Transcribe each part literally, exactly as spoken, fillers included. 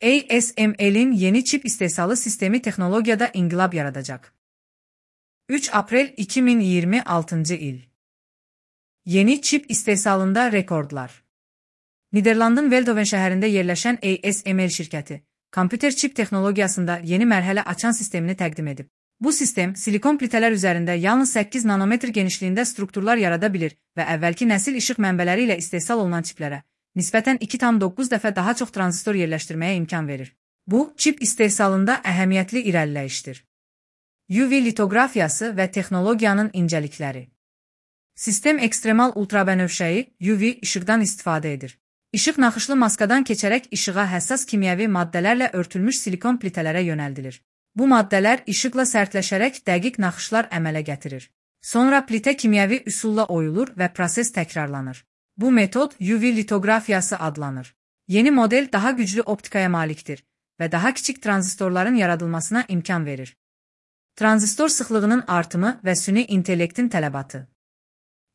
A S M L'in yeni çip istehsalı sistemi teknolojide inqilab yaradacak. üç April iki bin iyirmi altıncı il. Yeni çip istehsalında rekordlar. Niderlandın Veldhoven şəhərində yerləşən A S M L şirkəti, kompüter çip texnologiyasında yeni mərhələ açan sistemini təqdim edib. Bu sistem, silikon plitələr üzərində yalnız səkkiz nanometr genişliyində strukturlar yarada bilir və əvvəlki nəsil işıq mənbələri ilə istehsal olunan çiplərə nisbətən iki tam doqquz dəfə daha çox tranzistor yerləşdirməyə imkan verir. Bu, çip istehsalında əhəmiyyətli irəliləyişdir. U V litografiyası və texnologiyanın incəlikləri. Sistem ekstremal ultrabənövşəyi U V işıqdan istifadə edir. İşıq naxışlı maskadan keçərək işığa həssas kimyəvi maddələrlə örtülmüş silikon plitələrə yönəldilir. Bu maddələr işıqla sərtləşərək dəqiq naxışlar əmələ gətirir. Sonra plitə kimyəvi üsulla oyulur və proses təkrarlanır. Bu metod U V litografiyası adlanır. Yeni model daha güclü optikaya malikdir və daha kiçik tranzistorların yaradılmasına imkan verir. Tranzistor sıxlığının artımı və süni intellektin tələbatı.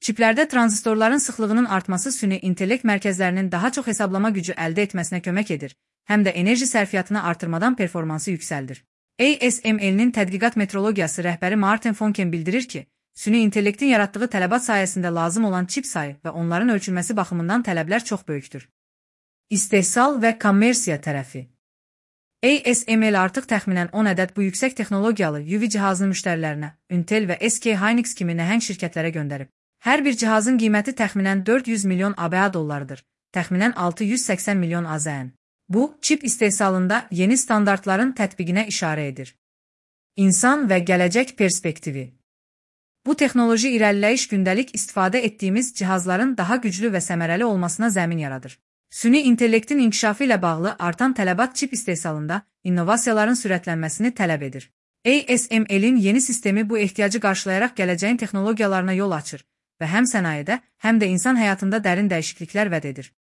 Çiplərdə tranzistorların sıxlığının artması süni intellekt mərkəzlərinin daha çox hesablama gücü əldə etməsinə kömək edir, həm də enerji sərfiyyatını artırmadan performansı yüksəldir. A S M L'nin tədqiqat metrologiyası rəhbəri Martin Fonken bildirir ki, süni intellektin yaratdığı tələbat sayəsində lazım olan çip sayı və onların ölçülməsi baxımından tələblər çox böyükdür. İstehsal və kommersiya tərəfi. A S M L artıq təxminən on ədəd bu yüksək texnologiyalı U V cihazını müştərilərinə, Intel və S K Hynix kimi nəhəng şirkətlərə göndərib. Hər bir cihazın qiyməti təxminən dörd yüz milyon A B A dollarıdır, təxminən altı yüz səksən milyon A Z N. Bu, çip istehsalında yeni standartların tətbiqinə işarə edir. İnsan və gələcək perspektivi. Bu texnoloji irəliləyiş gündəlik istifadə etdiyimiz cihazların daha güclü və səmərəli olmasına zəmin yaradır. Süni intellektin inkişafı ilə bağlı artan tələbat çip istehsalında innovasiyaların sürətlənməsini tələb edir. A S M L'in yeni sistemi bu ehtiyacı qarşılayaraq gələcəyin texnologiyalarına yol açır və həm sənayedə, həm də insan həyatında dərin dəyişikliklər vəd edir.